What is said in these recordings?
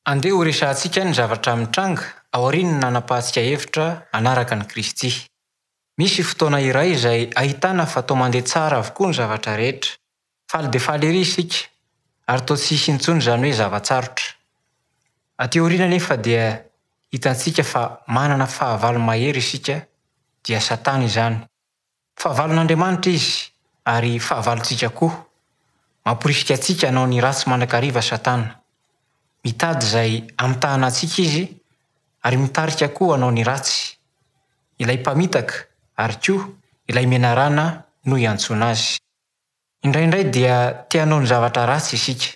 Andeha horesahantsika ny zavatra mitranga aorian'ny nanapahantsika hevitra hanaraka an'i Kristy. Misy fotoana iray izay ahitana fa toa mandeha tsara avokoa ny zavatra rehetra. Faly dia faly ery isika, ary toa tsy hisy intsony izany hoe zava-tsarotra. Aty aoriana anefa dia hitantsika fa manana fahavalo mahery isika, dia Satana izany. Fahavalon'Andriamanitra izy, ary fahavalontsika koa. Mamporisika antsika hanao ny ratsy mandrakariva Satana. Mitady izay hamitahana antsika izy, ary mitarika koa hanao ny ratsy. Ilay mpamitaka, ary koa ilay menarana no iantsoana azy. Indraindray dia te hanao ny zavatra ratsy isika,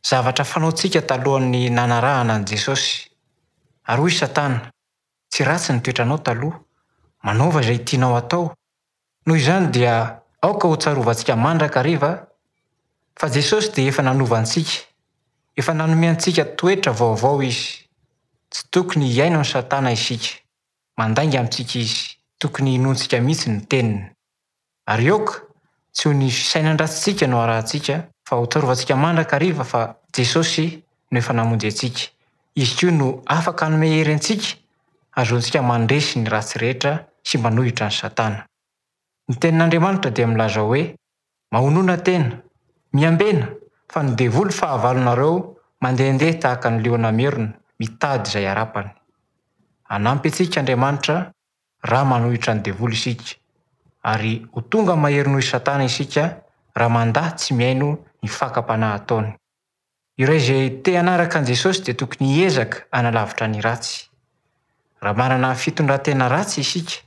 zavatra fanaontsika talohan'ny nanarahana an'i Jesosy. Ary hoy Satana, Tsy ratsy ny toetranao taloha, manaova izay tianao atao. Noho izany dia aoka ho tsarovantsika mandrakariva fa Jesosy dia efa nanova antsika, efa nanome antsika toetra vaovao Izy. Tsy tokony hihaino an'i Satana isika, mandainga amintsika izy, tokony hinoantsika mihitsy ny teniny. Ary aoka tsy ho ny fisainan-dratsintsika no arahantsika fa ho tsarovantsika mandrakariva fa Jesosy no efa namonjy antsika. Izy koa no afaka hanome hery antsika hahazoantsika mandresy ny ratsy rehetra sy manohitra an'i Satana. Ny Tenin'Andriamanitra dia milaza hoe, Mahonona tena, miambena, fa ny devoly fahavalonareo mandehandeha tahaka ny liona merona mitady izay harapany. Hanampy antsika Andriamanitra raha manohitra ny devoly isika, ary ho tonga mahery noho i Satana isika raha mandà tsy mihaino ny fakam-panahy ataony. Ireo izay te hanaraka an'i Jesosy dia tokony hiezaka hanalavitra ny ratsy. Raha manana fitondran-tena ratsy isika,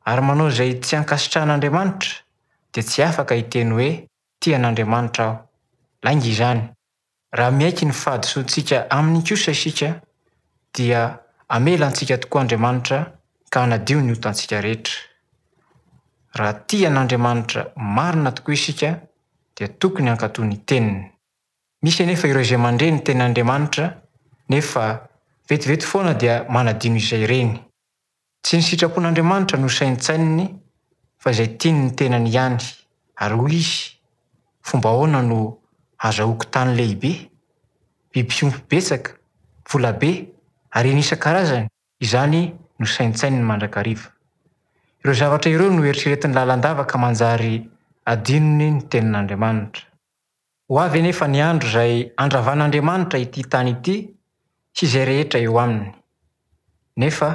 ary manao izay tsy ankasitrahan'Andriamanitra, dia tsy afaka hiteny hoe tia an'Andriamanitra aho. Lainga izany. Raha miaiky ny fahadisoantsika Aminy kosa isika, dia hamela antsika tokoa Andriamanitra ka hanadio ny otantsika rehetra. Raha tia an'Andriamanitra marina tokoa isika, dia tokony hankatò ny Teniny. Misy anefa ireo izay mandre ny Tenin'Andriamanitra, nefa vetivety foana dia manadino izay reny. Tsy ny sitrapon'Andriamanitra no saintsaininy fa izay tian'ny tenany ihany, ary hoy izy, Fomba ahoana no hahazahoako tany lehibe, biby fiompy betsaka, vola be, harena isan-karazany? Izany no saintsaininy mandrakariva. Ireo zavatra ireo no eritreretiny lalandava ka manjary adinony ny tenin'Andriamanitra. Ho avy anefa ny andro izay handravan'Andriamanitra ity tany ity sy izay rehetra eo aminy. Nefa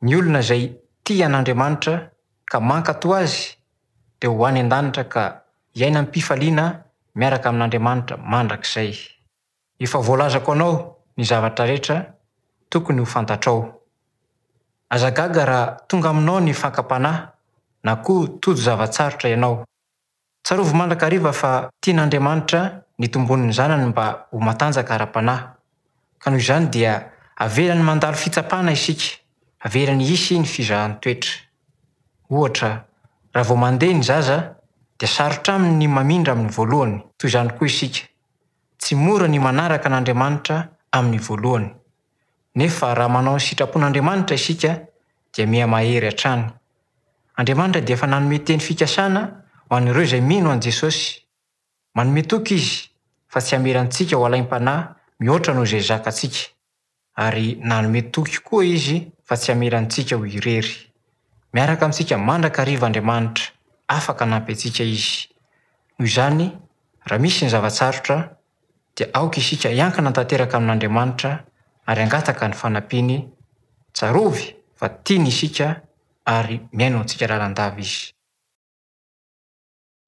ny olona izay tia an'Andriamanitra ka mankatò Azy dia ho any an-danitra ka hiaina am-pifaliana miaraka amin'Andriamanitra mandrakizay. Efa voalazako anao ny zavatra rehetra tokony ho fantatrao. Aza gaga raha tonga aminao ny fakam-panahy na koa tojo zava-tsarotra ianao. Tsarovy mandrakariva fa tian'Andriamanitra ny tombon'ny zanany mba ho matanjaka ara-panahy, ka noho izany dia avelany mandalo fitsapana isika, avelany hisy ny fizahan-toetra. Ohatra, raha vao mandeha ny zaza dia sarotra aminy ny mamindra amin'ny voalohany, toy izany koa isika, tsy mora ny manaraka an'Andriamanitra amin'ny voalohany. Nefa raha manao ny sitrapon'Andriamanitra isika dia miha-mahery hatrany. Andriamanitra dia efa nanome teny fikasana ho an'ireo izay mino an'i Jesosy. Manome toky Izy fa tsy hamela antsika ho alaim-panahy mihoatra noho izay zakantsika. Ary nanome toky koa Izy fa tsy hamela antsika ho irery. Miaraka amintsika mandrakariva Andriamanitra, afaka hanampy antsika Izy. Noho izany, raha misy ny zava-tsarotra, dia aoka isika hiankina tanteraka amin'Andriamanitra ary hangataka ny fanampiany, tsarovy fa tiany isika ary mihaino antsika lalandava Izy.